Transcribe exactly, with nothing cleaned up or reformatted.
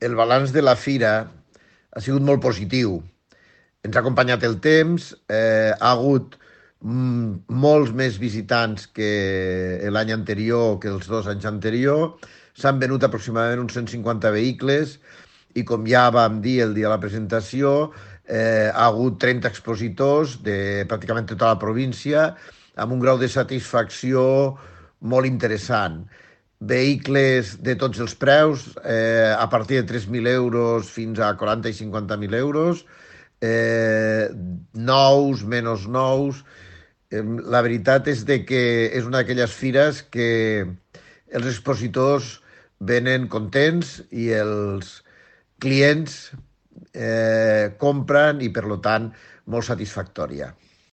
el balanç de la fira ha sigut molt positiu. Ens ha acompanyat el temps, eh, ha hagut mm, molts més visitants que l'any anterior, que els dos anys anterior. S'han venut aproximadament uns cent cinquanta vehicles i, com ja vam dir el dia de la presentació, eh, ha hagut trenta expositors de pràcticament tota la província amb un grau de satisfacció molt interessant. Vehicles de tots els preus, eh, a partir de tres mil euros fins a quaranta i cinquanta mil euros, eh, nous, menys nous. Eh, la veritat és de que és una d'aquelles fires que els expositors venen contents i els clients eh, compren i, per lo tant, molt satisfactòria.